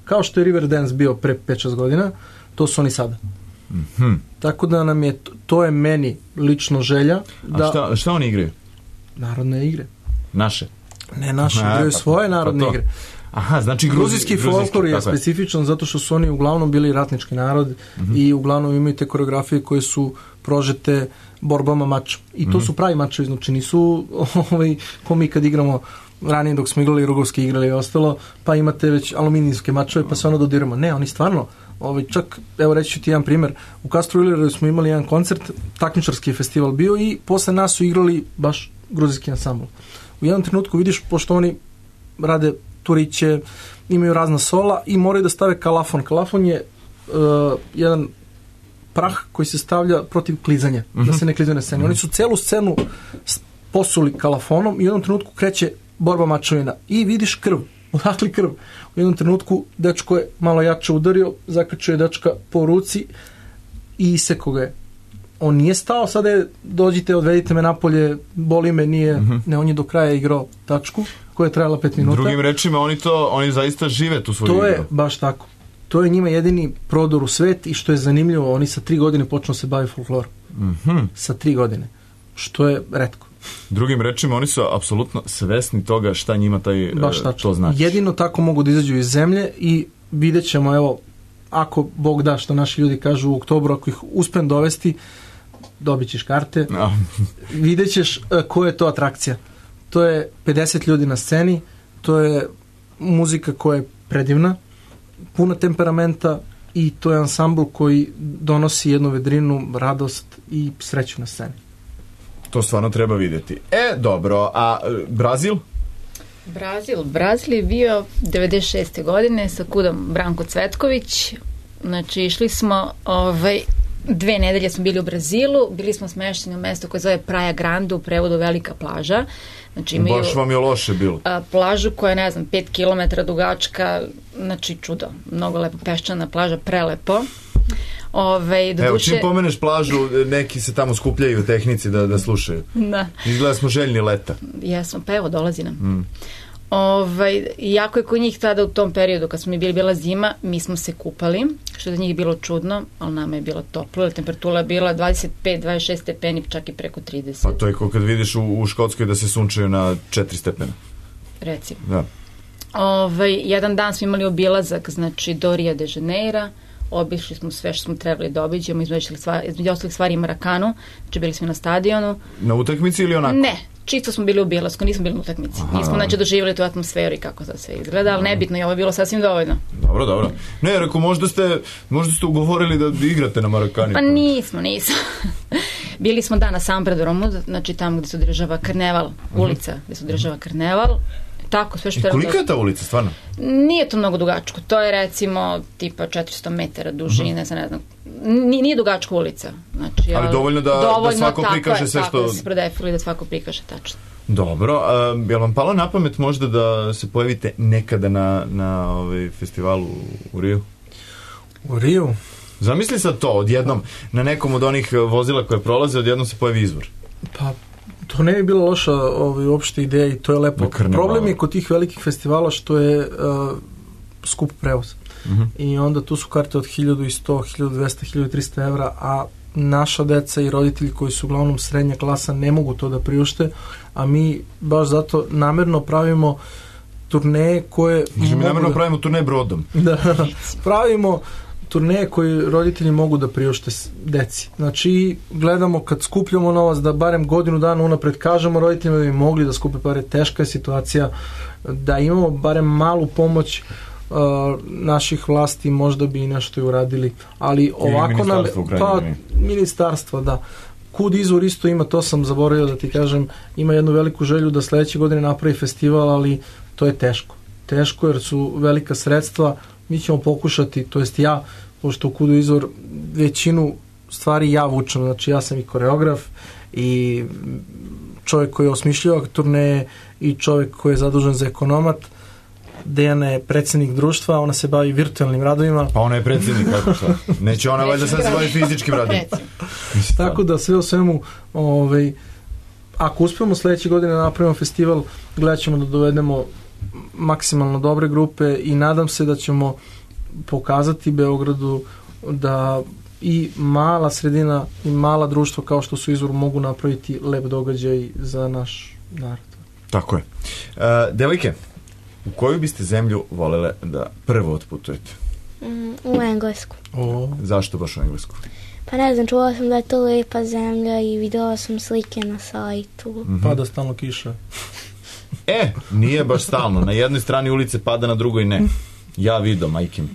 Kao što je Riverdance bio pre 5-6 godina, to su oni sada. Tako da nam je, to je meni lično želja. A šta oni igraju? Narodne igre. Naše? Ne naše, igraju svoje narodne igre. Aha, znači gruzijski folklor je specifičan zato što su oni uglavnom bili ratnički narod i uglavnom imaju te koreografije koje su prožete borbama mača. I to su pravi mačevi, znači nisu ko mi kad igramo ranije dok smo igrali rugovske igrali i ostalo, pa imate već aluminijske mačeve pa se ono dodiramo. Ne, oni stvarno čak, evo reći ću ti jedan primjer, u Castro Villeru smo imali jedan koncert, takmičarski festival bio i posle nas su igrali baš gruzijski ansambl. U jednom trenutku vidiš, pošto oni rade turiće, imaju razna sola i moraju da stave kalafon. Kalafon je jedan prah koji se stavlja protiv klizanja, da se ne klizaju na sceni. Oni su celu scenu posuli kalafonom i u jednom trenutku kreće borba mačevina i vidiš krv. Odakle krv? U jednom trenutku dečko je malo jače udario, zakačio je dečka po ruci i isekao ga je. On nije stao, sada je dođite, odvedite me napolje, boli me, nije, ne, on je do kraja igrao tačku koja je trajala 5 minuta. Drugim rečima, oni zaista žive tu svoju igru. To je baš tako. To je njima jedini prodor u svet i što je zanimljivo, oni sa 3 godine počnu se baviti folklorom. Sa 3 godine. Što je retko. Drugim rečima, oni su apsolutno svesni toga šta njima to znači. Jedino tako mogu da izađu iz zemlje i vidjet ćemo, evo, ako Bog da, što naši ljudi kažu u oktobru, ako ih uspem dovesti, dobit ćeš karte, vidjet ćeš koja je to atrakcija. To je 50 ljudi na sceni, to je muzika koja je predivna, puna temperamenta i to je ansambl koji donosi jednu vedrinu, radost i sreću na sceni. To stvarno treba vidjeti. Dobro, a Brazil? Brazil je bio 96. godine sa kudom Branko Cvetković. Znači, išli smo 2 nedelje smo bili u Brazilu, bili smo smešteni u mesto koje zove Praia Grande, u prevodu Velika plaža. Znači, imaju baš vam je loše bilo. Plažu koja je, 5 km dugačka, znači čudo, mnogo lepo, peščana plaža, prelepo. Evo, čim pomeneš plažu, neki se tamo skupljaju u tehnici da slušaju. Da. Izgleda smo željni leta. Jesmo, pa evo, dolazi nam. Iako je kod njih tada u tom periodu, kad smo mi bila zima, mi smo se kupali, što je za njih bilo čudno, ali nama je bilo toplo, jer temperatura je bila 25-26 stepeni, čak i preko 30. Pa to je kao kad vidiš u Škotskoj da se sunčaju na 4 stepena. Recimo. Da. Jedan dan smo imali obilazak, znači do Rio de Janeira, obišli smo sve što smo trebali da obiđemo, između ostalih stvari Marakanu, znači bili smo na stadionu. Na utakmici ili onako? Ne, čisto smo bili u obilasku, nismo bili na utakmici. Nismo znači doživjeli tu atmosferu i kako to sve izgleda, ali nebitno, i ovo je bilo sasvim dovoljno. Dobro. Ne, rekao, možda ste ugovorili da igrate na Marakani. Pa nismo. Bili smo na San Predromu, znači tamo gde se održava karneval, ulica gde se održava karneval. Tako, sve što I kolika je ta ulica, stvarno? Nije to mnogo dugačko. To je recimo tipa 400 metara dužine, ne znam. Nije dugačka ulica. Znači, ali dovoljno da svako prikaže sve što... Da se prodefili, da svako prikaže tačno. Dobro. Je li vam palo na pamet možda da se pojavite nekada na festivalu u Riju? U Riju? Zamisli sad to, odjednom, na nekom od onih vozila koje prolaze, odjednom se pojavi izvor. Pa, to ne bi bila loša uopšte ideja i to je lepo. Problem je kod tih velikih festivala što je skup prevoz. I onda tu su karte od 1100, 1200, 1300 evra, a naša deca i roditelji koji su uglavnom srednja klasa ne mogu to da priušte, a mi baš zato namerno pravimo turneje koje... Mi namerno pravimo turneje brodom. Da, pravimo turneje koje roditelji mogu da priušte deci. Znači, gledamo kad skupljamo novac da barem godinu dana unapred kažemo roditeljima da bi mogli da skupe pare. Teška je situacija, da imamo barem malu pomoć naših vlasti, možda bi i nešto i uradili, ali ovako nam... Ministarstvo, da. Kud izvor isto ima, to sam zaboravio da ti kažem, ima jednu veliku želju da sledeće godine napravi festival, ali to je teško. Teško jer su velika sredstva. Mi ćemo pokušati, to jest ja, pošto u Kudu izvor većinu stvari ja vučem, znači ja sam i koreograf i čovjek koji je osmišljava turneje i čovjek koji je zadužen za ekonomat. Dejana je predsjednik društva, ona se bavi virtualnim radovima. Pa ona je predsjednik, kako šta? Neće ona valjda sad se bavi fizičkim radovima. Tako da sve o svemu, ako uspijemo sledeće godine da napravimo festival, gledat ćemo da dovedemo maksimalno dobre grupe i nadam se da ćemo pokazati Beogradu da i mala sredina i mala društva kao što su Izvor mogu napraviti lep događaj za naš narod. Tako je. Devojke, u koju biste zemlju volele da prvo otputujete? U Englesku. Zašto baš u Englesku? Pa ne znam, čula sam da je to lepa zemlja i videla sam slike na sajtu. Pada stalno kiša. Nije baš stalno. Na jednoj strani ulice pada, na drugoj ne. Ja vidio, majkim.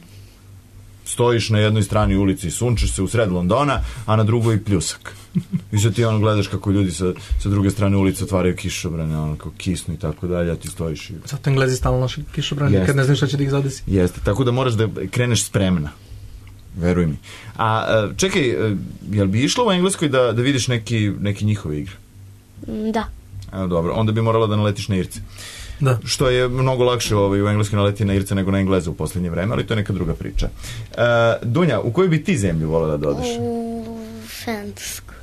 Stojiš na jednoj strani ulici i sunčeš se u sred Londona, a na drugoj pljusak. I sad ti gledaš kako ljudi sa druge strane ulice otvaraju kišobrane, kao kisnu i tako dalje, a ti stojiš i... Zato Englezi stalno naši kišobrane, kad ne znaš šta će da ih zadesi. Jeste, tako da moraš da kreneš spremna. Veruj mi. A čekaj, jel bi išla u Engleskoj da vidiš neki njihove igre? Da. Dobro, onda bi morala da naletiš na Irce. Da. Što je mnogo lakše u Engleskoj naleti na Irce nego na Engleze u posljednje vreme, ali to je neka druga priča. Dunja, u koju bi ti zemlju volila da odeš? U Francusku.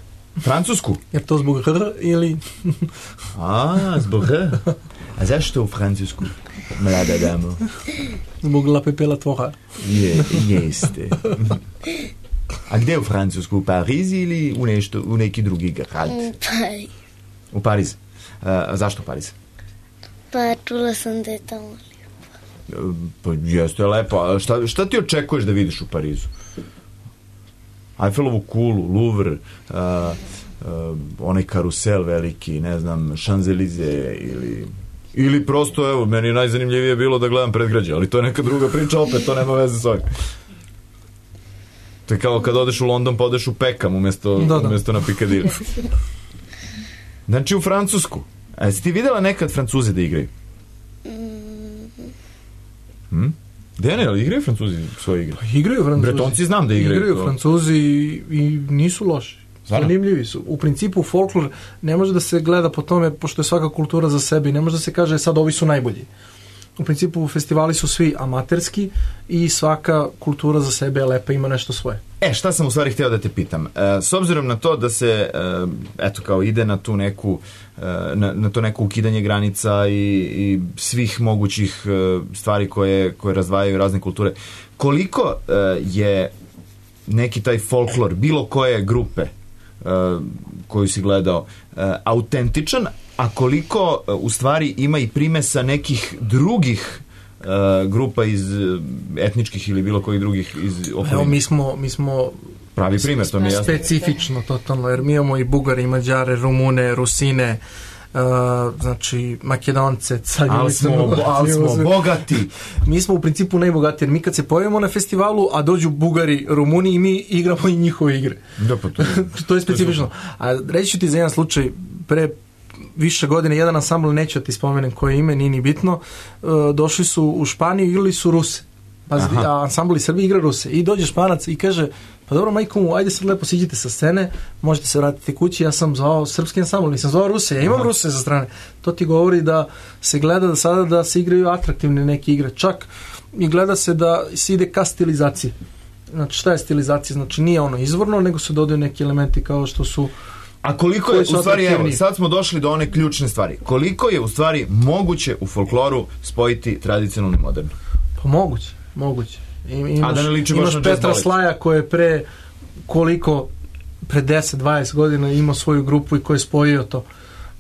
Francusku? Je to zbog H ili... Zbog H? A zašto u Francusku, mlada damo? Zbog La Pepela Tvora. Jeste. A gde u Francusku? U Pariz ili u neki drugi grad? U Pariz. U Pariz. Zašto Pariz? Pa čula sam da je tamo lijepo. Pa jeste lepo. A šta ti očekuješ da vidiš u Parizu? Eiffelovu kulu, Louvre, onaj karusel veliki, ne znam, Champs-Élysées ili prosto, evo, meni najzanimljivije bilo da gledam predgrađe, ali to je neka druga priča, opet, to nema veze s ovim. To je kao kad odeš u London pa odeš u Peckham umjesto na Piccadilly. Znači u Francusku. A jesi ti videla nekad Francuze da igraju? Dene, ali igraju Francuzi svoje igre? Pa igraju Francuzi. Bretonci znam da igraju. Igraju Francuzi i nisu loši. Zanimljivi su. U principu folklor ne može da se gleda po tome, pošto je svaka kultura za sebe i ne može da se kaže sad ovi su najbolji. u principu festivali su svi amaterski i svaka kultura za sebe je lepa, ima nešto svoje. Šta sam u stvari hteo da te pitam? S obzirom na to da se, eto, kao ide na tu neku, na to neko ukidanje granica i svih mogućih stvari koje razdvajaju razne kulture, koliko je neki taj folklor, bilo koje grupe koju si gledao, autentičan, a koliko u stvari ima i primesa nekih drugih grupa iz etničkih ili bilo kojih drugih iz okoline? Evo, mi smo pravi primjer, to mi je jasno. Specifično, totalno, jer mi imamo i Bugari, i Mađare, Rumune, Rusine, znači Makedonce, ali smo bogati. Mi smo u principu najbogatiji, jer mi kad se pojavimo na festivalu, a dođu Bugari, Rumuni i mi igramo i njihove igre. Da, pa to je specifično. A reći ću ti za jedan slučaj, pre više godine, jedan ansambl, neću da ti spomenem koje ime, nije ni bitno, došli su u Španiju, igrali su Ruse. A ansambl iz Srbije igra Ruse. I dođe Španac i kaže, pa dobro, majko mu, ajde sad lepo siđite sa scene, možete se vratiti kući, ja sam zvao srpski ansambl, nisam zvao Ruse, ja imam Ruse za strane. To ti govori da se gleda da sada da se igraju atraktivne neke igre. Čak i gleda se da se ide ka stilizaciji. Znači, šta je stilizacija? Znači, nije ono izvorno, nego se dodaju neki elementi kao što su... A koliko je, u stvari, evo, sad smo došli do one ključne stvari. Koliko je, u stvari, moguće u folkloru spojiti tradicionalno i moderno? Pa moguće. Imaš Petra Slaja koji je pre 10-20 godina imao svoju grupu i koji je spojio to.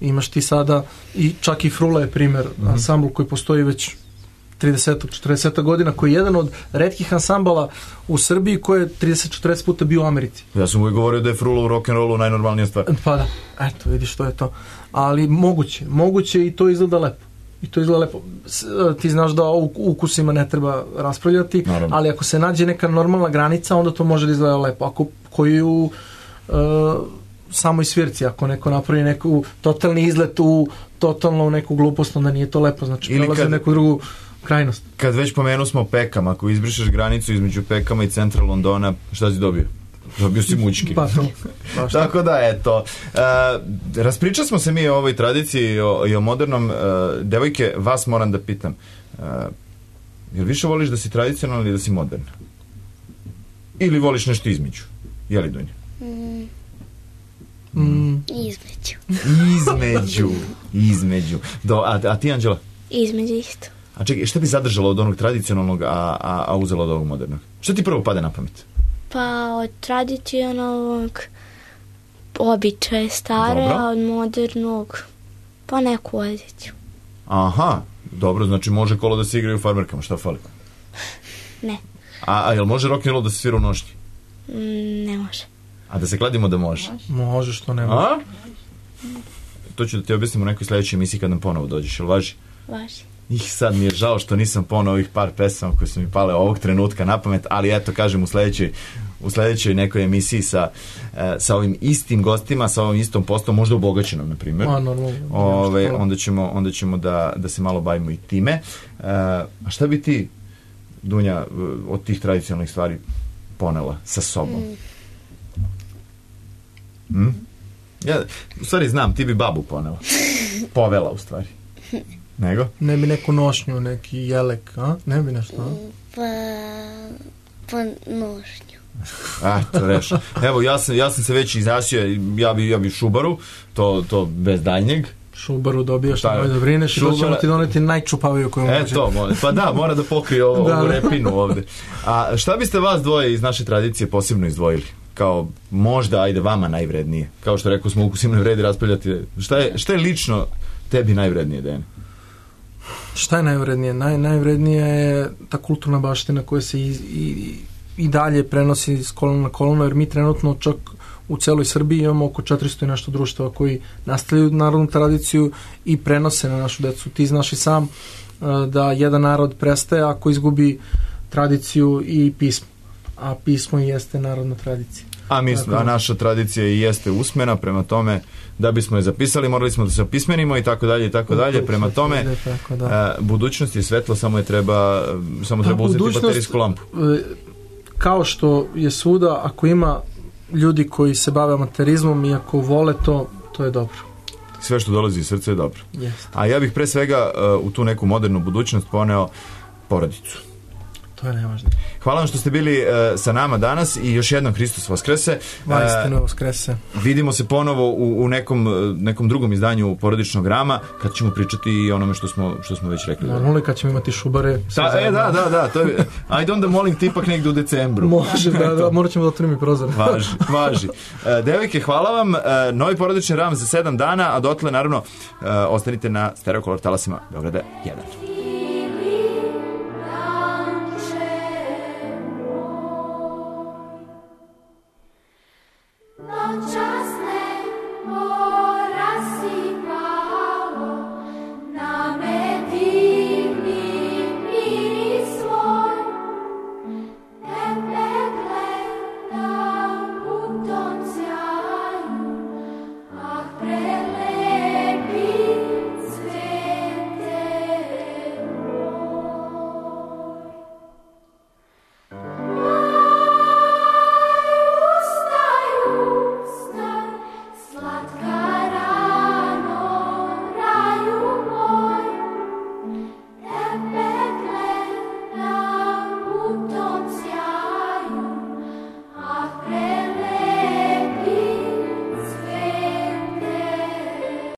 Imaš ti sada, i čak i Frula je primjer, ansambl koji postoji već 30-40 godina, koji je jedan od retkih ansambala u Srbiji koji je 30-40 puta bio u Americi. Ja sam uvijek govorio da je Frula u rock'n'rollu najnormalnija stvar. Pa da, eto, vidiš što je to. Ali moguće i to izgleda lepo. Ti znaš da o ukusima ne treba raspravljati, naravno. Ali ako se nađe neka normalna granica, onda to može da izgleda lepo. Ako koji u samoj svirci, ako neko napravi neku totalni izlet totalno u neku glupost, onda nije to lepo, znači prelazi neku drugu krajnost. Kad već pomenu smo Pekam, ako izbrišeš granicu između Pekama i centra Londona, šta si dobio? Dobio si mučki. Pa to. Tako da, eto. Raspričali smo se mi o ovoj tradiciji i o modernom. Devojke, vas moram da pitam. Jel više voliš da si tradicionalna ili da si moderna? Ili voliš nešto između? Je li, Dunja? Između. A ti, Anđela? Između isto. A čekaj, šta bi zadržala od onog tradicionalnog, a uzela od ovog modernog? Šta ti prvo pade na pamet? Pa od tradicionalnog običaje stare, a od modernog pa neku odjeću. Aha, dobro, znači može kolo da se igraju u farmerkama, šta fali? Ne. A jel može rock'n'roll da se svira u nošnji? Ne može. A da se kladimo da može? Može, što ne može. To ću da ti objasnim u nekoj sledećoj emisiji kad nam ponovo dođeš, jel važi? Važi. Sad mi je žao što nisam ponovo ovih par pesama koje su mi pale ovog trenutka na pamet, ali eto, kažem, u sledećoj nekoj emisiji sa ovim istim gostima, sa ovom istom postom, možda obogaćenom, na primjer. Onda ćemo da se malo bavimo i time. A šta bi ti, Dunja, od tih tradicionalnih stvari ponela sa sobom? Ja, u stvari znam, ti bi babu ponela. Povela, u stvari. Nego? Ne bi neku nošnju, neki jelek, a? Ne bi nešto, a? Pa nošnju. To reš. Evo, ja sam se već izrašio, ja bi šubaru, to bez daljnjeg. Šubaru dobijaš, nemoj da brineš i to ćemo ti doneti najčupaviju koju može. Pa da, mora da pokrije ovu repinu ovde. A šta biste vas dvoje iz naše tradicije posebno izdvojili? Kao možda, ajde, vama najvrednije. Kao što rekao smo, ukusima ne vredi raspravljati. Šta je lično tebi najvrednije, Dejane? Šta je najvrednije? Najvrednije je ta kulturna baština koja se i dalje prenosi s kolona na kolona, jer mi trenutno čak u celoj Srbiji imamo oko 400 i nešto društava koji nastavljaju narodnu tradiciju i prenose na našu decu. Ti znaš i sam da jedan narod prestaje ako izgubi tradiciju i pismo. A pismo jeste narodna tradicija. A naša tradicija i jeste usmena, prema tome da bismo je zapisali, morali smo da se opismenimo i tako dalje i tako dalje. Prema tome, budućnost je svetla, samo treba uzeti baterijsku lampu. Kao što je svuda, ako ima ljudi koji se bave amaterizmom i ako vole to je dobro. sve što dolazi iz srca je dobro. Yes. A ja bih pre svega u tu neku modernu budućnost poneo porodicu. To je najvažnije. Hvala vam što ste bili sa nama danas i još jednom Hristos Vaskrese. Vajstino Vaskrese. Vidimo se ponovo u nekom drugom izdanju Porodičnog rama, kad ćemo pričati i onome što smo već rekli. Normalno, kad ćemo imati šubare. Da. To je, ajde onda molim ti ipak negde u decembru. Može, da, morat ćemo da otvorimo i prozor. Važi. Devojke, hvala vam. Novi Porodični ram za 7 dana, a dotle naravno ostanite na Stereo Color talasima Beograda 1.